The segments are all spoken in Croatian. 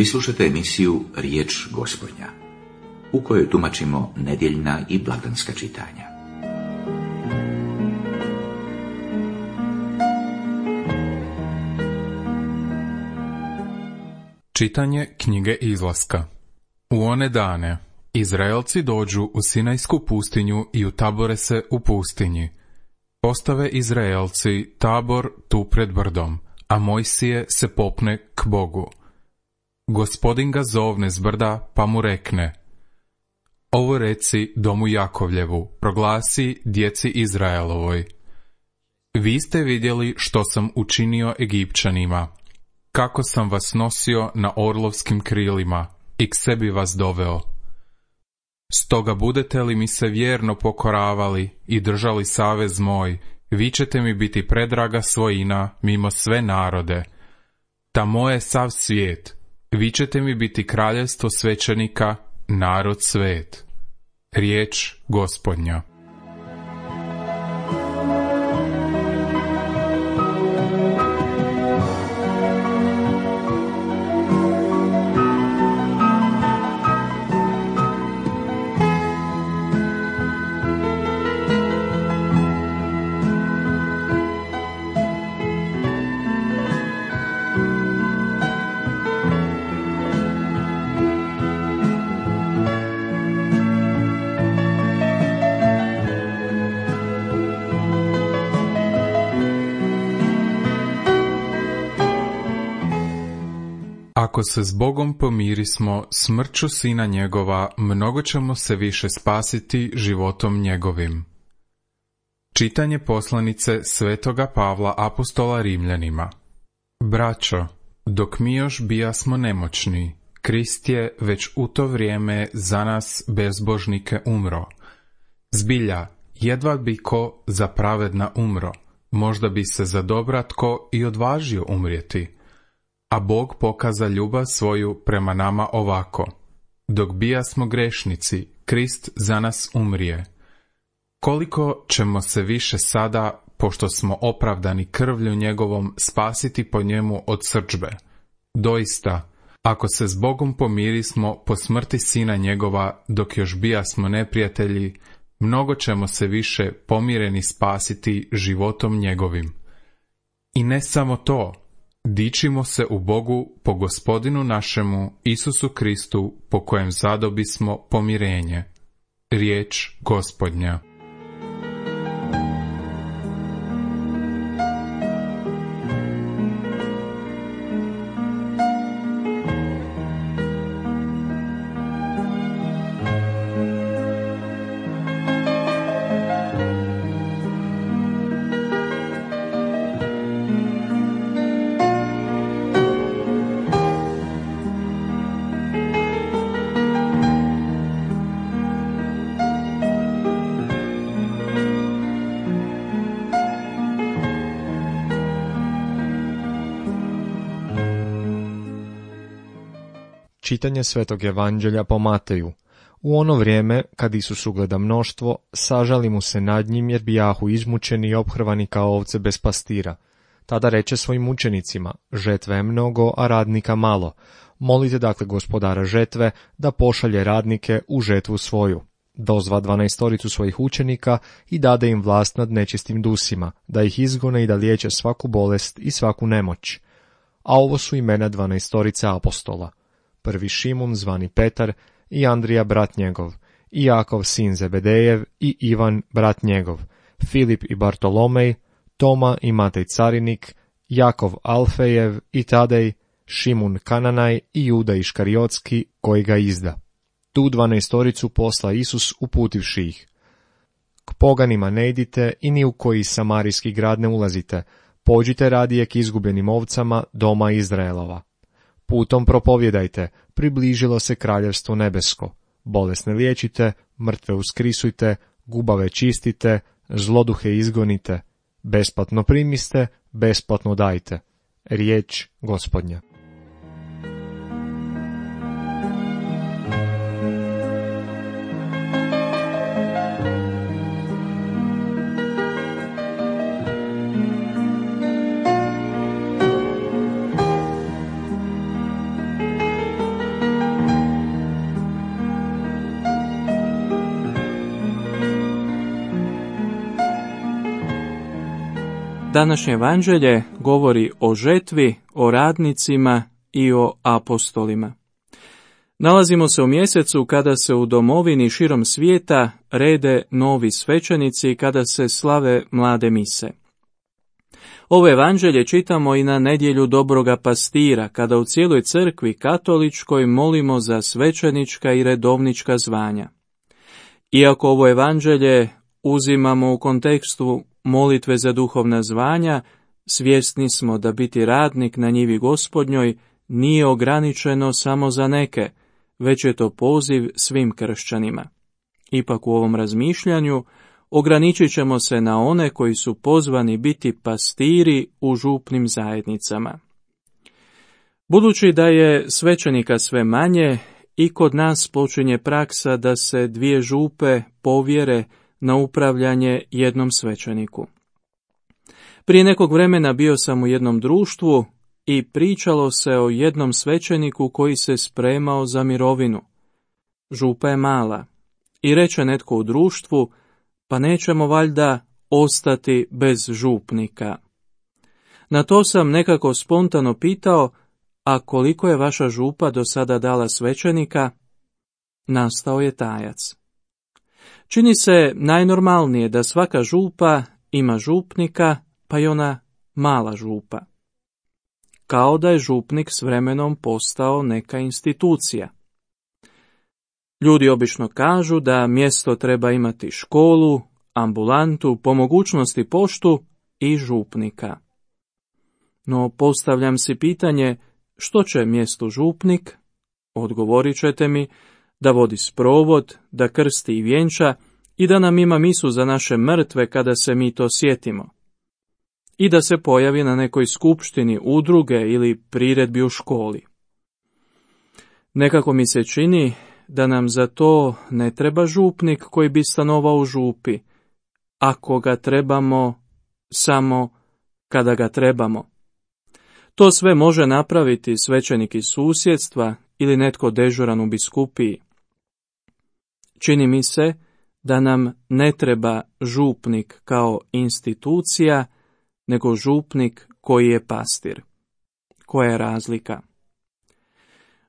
Vi slušate emisiju Riječ Gospodnja, u kojoj tumačimo nedjeljna i blagdanska čitanja. Čitanje knjige Izlaska. U one dane Izraelci dođu u Sinajsku pustinju i utabore se u pustinji. Postave Izraelci tabor tu pred brdom, a Mojsije se popne k Bogu. Gospodin ga zovne s brda, pa mu rekne: Ovo reci domu Jakovljevu, proglasi djeci Izraelovoj. Vi ste vidjeli što sam učinio Egipćanima, kako sam vas nosio na orlovskim krilima i k sebi vas doveo. Stoga budete li mi se vjerno pokoravali i držali savez moj, vi ćete mi biti predraga svojina mimo sve narode. Ta moje sav svijet, vi ćete mi biti kraljevstvo svećenika, narod svet. Riječ Gospodnja. Ako se s Bogom pomirismo smrću sina njegova, mnogo ćemo se više spasiti životom njegovim. Čitanje poslanice svetoga Pavla apostola Rimljanima. Braćo, dok mi još bijasmo nemoćni, Krist je već u to vrijeme za nas bezbožnike umro. Zbilja, jedva bi ko za pravedna umro, možda bi se za dobra tko i odvažio umrijeti. A Bog pokaza ljubav svoju prema nama ovako: dok bijasmo grešnici, Krist za nas umrije. Koliko ćemo se više sada, pošto smo opravdani krvlju njegovom, spasiti po njemu od srdžbe? Doista, ako se s Bogom pomirismo po smrti sina njegova, dok još bijasmo neprijatelji, mnogo ćemo se više pomireni spasiti životom njegovim. I ne samo to, dičimo se u Bogu po Gospodinu našemu Isusu Kristu, po kojem zadobismo pomirenje. Riječ Gospodnja. Čitanje Svetog Evanđelja po Mateju. U ono vrijeme, kad Isus ugleda mnoštvo, sažali mu se nad njim jer bijahu izmučeni i ophrvani kao ovce bez pastira. Tada reče svojim učenicima: žetve je mnogo, a radnika malo. Molite dakle gospodara žetve da pošalje radnike u žetvu svoju. Dozva 12 svojih učenika i dade im vlast nad nečistim dusima, da ih izgone i da liječe svaku bolest i svaku nemoć. A ovo su imena 12 apostola: prvi Šimun zvani Petar, i Andrija brat njegov, i Jakov sin Zebedejev, i Ivan brat njegov, Filip i Bartolomej, Toma i Matej carinik, Jakov Alfejev i Tadej, Šimun Kananaj i Juda Iškariotski koji ga izda. Tu 12 posla Isus uputivši ih: k poganima ne idite i ni u koji samarijski grad ne ulazite, pođite radije k izgubljenim ovcama doma Izraelova. Putom propovjedajte, približilo se kraljevstvo nebesko. Bolesne liječite, mrtve uskrisujte, gubave čistite, zloduhe izgonite. Besplatno primiste, besplatno dajte. Riječ Gospodnja. Današnje evanđelje govori o žetvi, o radnicima i o apostolima. Nalazimo se u mjesecu kada se u domovini širom svijeta rede novi svećenici i kada se slave mlade mise. Ovo evanđelje čitamo i na nedjelju dobroga pastira, kada u cijeloj crkvi katoličkoj molimo za svećenička i redovnička zvanja. Iako ovo evanđelje uzimamo u kontekstu molitve za duhovna zvanja, svjesni smo da biti radnik na njivi Gospodnjoj nije ograničeno samo za neke, već je to poziv svim kršćanima. Ipak u ovom razmišljanju ograničit ćemo se na one koji su pozvani biti pastiri u župnim zajednicama. Budući da je svećenika sve manje, i kod nas počinje praksa da se 2 župe povjere na upravljanje jednom svećeniku. Prije nekog vremena bio sam u jednom društvu i pričalo se o jednom svećeniku koji se spremao za mirovinu. Župa je mala i reče netko u društvu, pa nećemo valjda ostati bez župnika. Na to sam nekako spontano pitao, a koliko je vaša župa do sada dala svećenika? Nastao je tajac. Čini se najnormalnije da svaka župa ima župnika, pa i ona mala župa. Kao da je župnik s vremenom postao neka institucija. Ljudi obično kažu da mjesto treba imati školu, ambulantu, po mogućnosti poštu i župnika. No postavljam si pitanje, što će mjestu župnik? Odgovorit ćete mi da vodi sprovod, da krsti i vjenča i da nam ima misu za naše mrtve kada se mi to sjetimo. I da se pojavi na nekoj skupštini udruge ili priredbi u školi. Nekako mi se čini da nam za to ne treba župnik koji bi stanovao u župi, ako ga trebamo samo kada ga trebamo. To sve može napraviti svećenik iz susjedstva ili netko dežuran u biskupiji. Čini mi se da nam ne treba župnik kao institucija, nego župnik koji je pastir. Koja je razlika?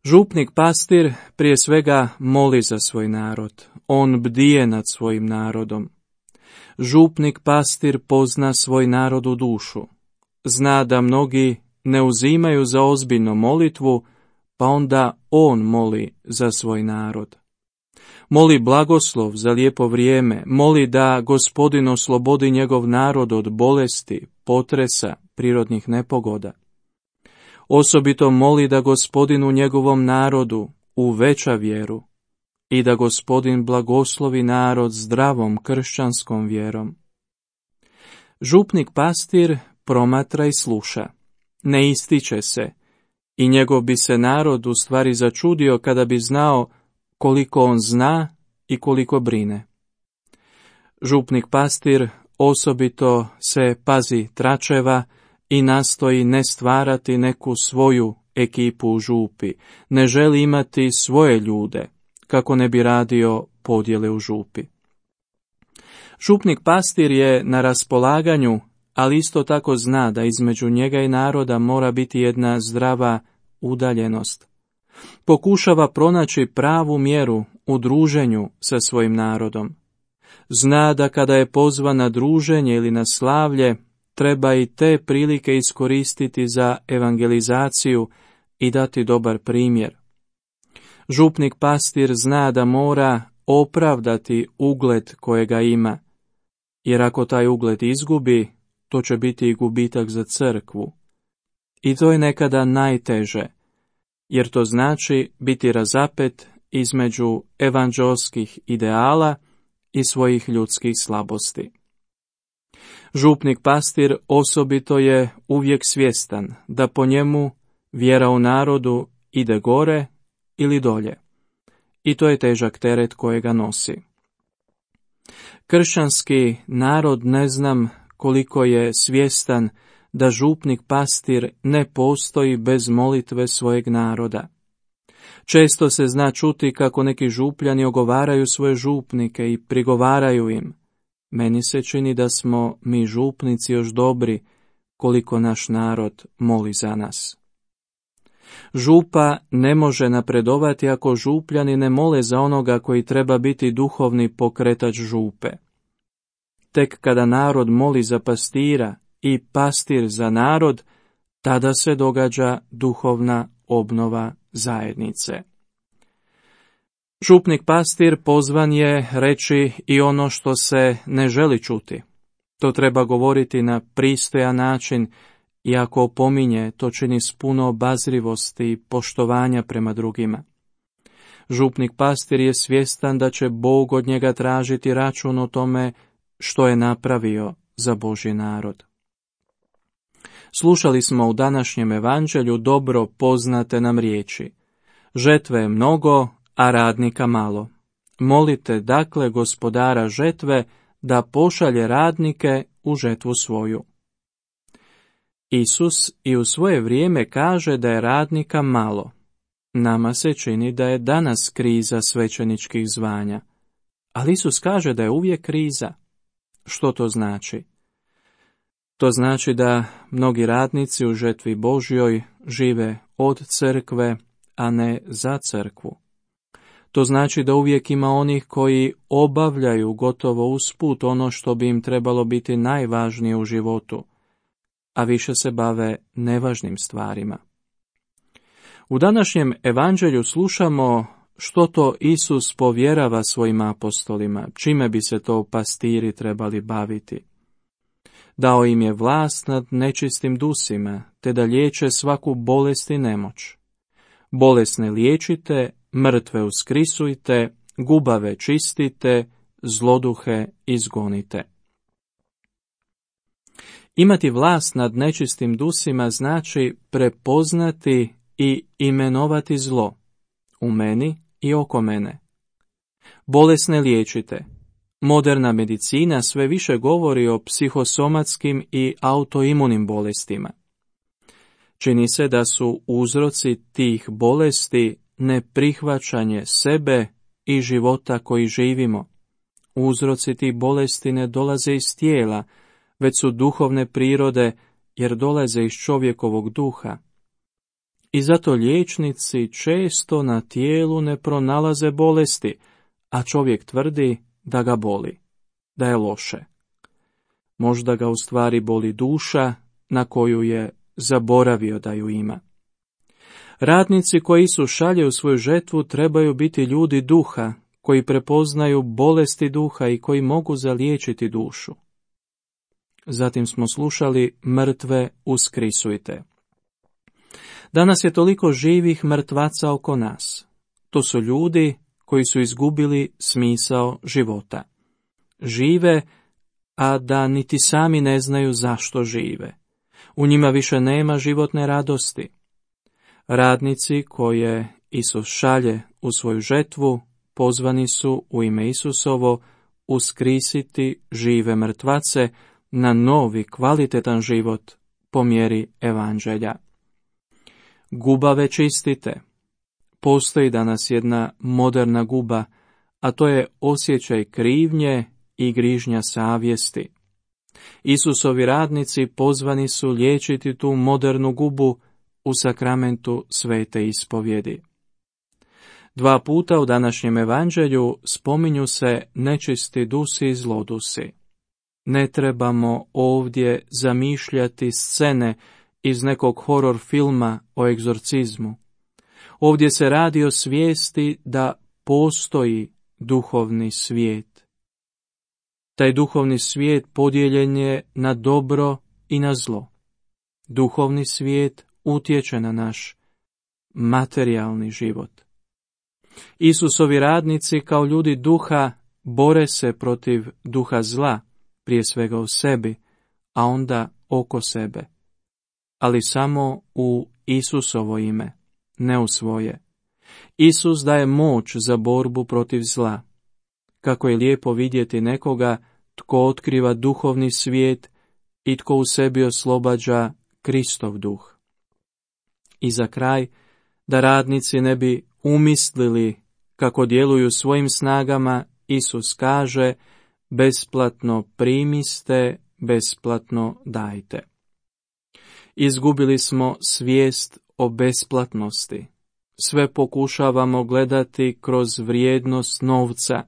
Župnik pastir prije svega moli za svoj narod. On bdije nad svojim narodom. Župnik pastir pozna svoj narod u dušu. Zna da mnogi ne uzimaju za ozbiljno molitvu, pa onda on moli za svoj narod. Moli blagoslov za lijepo vrijeme, moli da Gospodin oslobodi njegov narod od bolesti, potresa, prirodnih nepogoda. Osobito moli da Gospodin u njegovom narodu uveća vjeru i da Gospodin blagoslovi narod zdravom kršćanskom vjerom. Župnik pastir promatra i sluša, ne ističe se i njegov bi se narod u stvari začudio kada bi znao koliko on zna i koliko brine. Župnik pastir osobito se pazi tračeva i nastoji ne stvarati neku svoju ekipu u župi, ne želi imati svoje ljude, kako ne bi radio podjele u župi. Župnik pastir je na raspolaganju, ali isto tako zna da između njega i naroda mora biti jedna zdrava udaljenost. Pokušava pronaći pravu mjeru u druženju sa svojim narodom. Zna da kada je pozvan na druženje ili na slavlje, treba i te prilike iskoristiti za evangelizaciju i dati dobar primjer. Župnik pastir zna da mora opravdati ugled kojega ima, jer ako taj ugled izgubi, to će biti i gubitak za crkvu. I to je nekada najteže, jer to znači biti razapet između evanđelskih ideala i svojih ljudskih slabosti. Župnik pastir osobito je uvijek svjestan da po njemu vjera u narodu ide gore ili dolje. I to je težak teret kojega nosi. Kršćanski narod ne znam koliko je svjestan da župnik pastir ne postoji bez molitve svojeg naroda. Često se zna čuti kako neki župljani ogovaraju svoje župnike i prigovaraju im. Meni se čini da smo mi župnici još dobri, koliko naš narod moli za nas. Župa ne može napredovati ako župljani ne mole za onoga koji treba biti duhovni pokretač župe. Tek kada narod moli za pastira i pastir za narod, tada se događa duhovna obnova zajednice. Župnik pastir pozvan je reći i ono što se ne želi čuti. To treba govoriti na pristojan način i ako opominje, to čini s puno obazrivosti i poštovanja prema drugima. Župnik pastir je svjestan da će Bog od njega tražiti račun o tome što je napravio za Božji narod. Slušali smo u današnjem evanđelju dobro poznate nam riječi. Žetve je mnogo, a radnika malo. Molite dakle gospodara žetve da pošalje radnike u žetvu svoju. Isus i u svoje vrijeme kaže da je radnika malo. Nama se čini da je danas kriza svećeničkih zvanja. Ali Isus kaže da je uvijek kriza. Što to znači? To znači da mnogi radnici u žetvi Božjoj žive od crkve, a ne za crkvu. To znači da uvijek ima onih koji obavljaju gotovo usput ono što bi im trebalo biti najvažnije u životu, a više se bave nevažnim stvarima. U današnjem evanđelju slušamo što to Isus povjerava svojim apostolima, čime bi se to pastiri trebali baviti. Dao im je vlast nad nečistim dusima, te da liječe svaku bolest i nemoć. Bolesne liječite, mrtve uskrisujte, gubave čistite, zloduhe izgonite. Imati vlast nad nečistim dusima znači prepoznati i imenovati zlo u meni i oko mene. Bolesne liječite. Moderna medicina sve više govori o psihosomatskim i autoimunim bolestima. Čini se da su uzroci tih bolesti neprihvaćanje sebe i života koji živimo. Uzroci tih bolesti ne dolaze iz tijela, već su duhovne prirode, jer dolaze iz čovjekovog duha. I zato liječnici često na tijelu ne pronalaze bolesti, a čovjek tvrdi da ga boli, da je loše. Možda ga u stvari boli duša na koju je zaboravio da ju ima. Radnici koji Isus šalje u svoju žetvu trebaju biti ljudi duha, koji prepoznaju bolesti duha i koji mogu zaliječiti dušu. Zatim smo slušali mrtve uskrisujte. Danas je toliko živih mrtvaca oko nas. To su ljudi koji su izgubili smisao života. Žive, a da niti sami ne znaju zašto žive. U njima više nema životne radosti. Radnici koje Isus šalje u svoju žetvu pozvani su u ime Isusovo uskrisiti žive mrtvace na novi kvalitetan život po mjeri evanđelja. Gubave čistite. Postoji danas jedna moderna guba, a to je osjećaj krivnje i grižnja savjesti. Isusovi radnici pozvani su liječiti tu modernu gubu u sakramentu svete ispovjedi. 2 puta u današnjem evanđelju spominju se nečisti dusi i zlodusi. Ne trebamo ovdje zamišljati scene iz nekog horor filma o egzorcizmu. Ovdje se radi o svijesti da postoji duhovni svijet. Taj duhovni svijet podijeljen je na dobro i na zlo. Duhovni svijet utječe na naš materijalni život. Isusovi radnici kao ljudi duha bore se protiv duha zla, prije svega u sebi, a onda oko sebe. Ali samo u Isusovo ime, ne u svoje. Isus daje moć za borbu protiv zla. Kako je lijepo vidjeti nekoga tko otkriva duhovni svijet i tko u sebi oslobađa Kristov duh. I za kraj, da radnici ne bi umislili kako djeluju svojim snagama, Isus kaže, besplatno primiste, besplatno dajte. Izgubili smo svijest o besplatnosti. Sve pokušavamo gledati kroz vrijednost novca,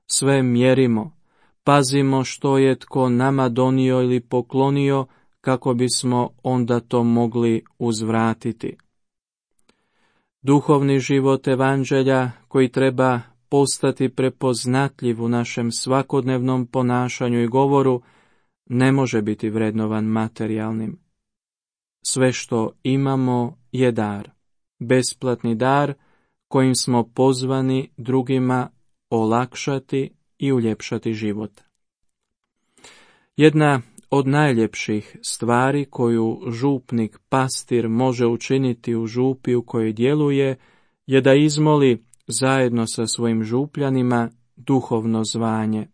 sve mjerimo, pazimo što je tko nama donio ili poklonio kako bismo onda to mogli uzvratiti. Duhovni život evanđelja koji treba postati prepoznatljiv u našem svakodnevnom ponašanju i govoru ne može biti vrednovan materijalnim. Sve što imamo je dar, besplatni dar kojim smo pozvani drugima olakšati i uljepšati život. Jedna od najljepših stvari koju župnik pastir može učiniti u župi u kojoj djeluje je da izmoli zajedno sa svojim župljanima duhovno zvanje.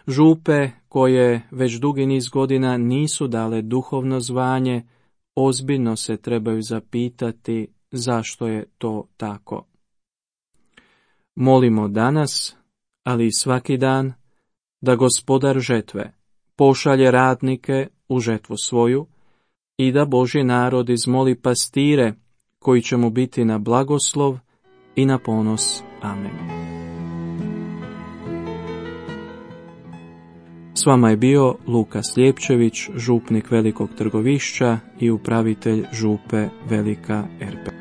Župe koje već dugi niz godina nisu dale duhovno zvanje, ozbiljno se trebaju zapitati zašto je to tako. Molimo danas, ali i svaki dan, da Gospodar žetve pošalje radnike u žetvu svoju i da Božji narod izmoli pastire koji će mu biti na blagoslov i na ponos. Amen. S vama je bio Luka Sljepčević, župnik Velikog Trgovišća i upravitelj župe Velika Erpelj.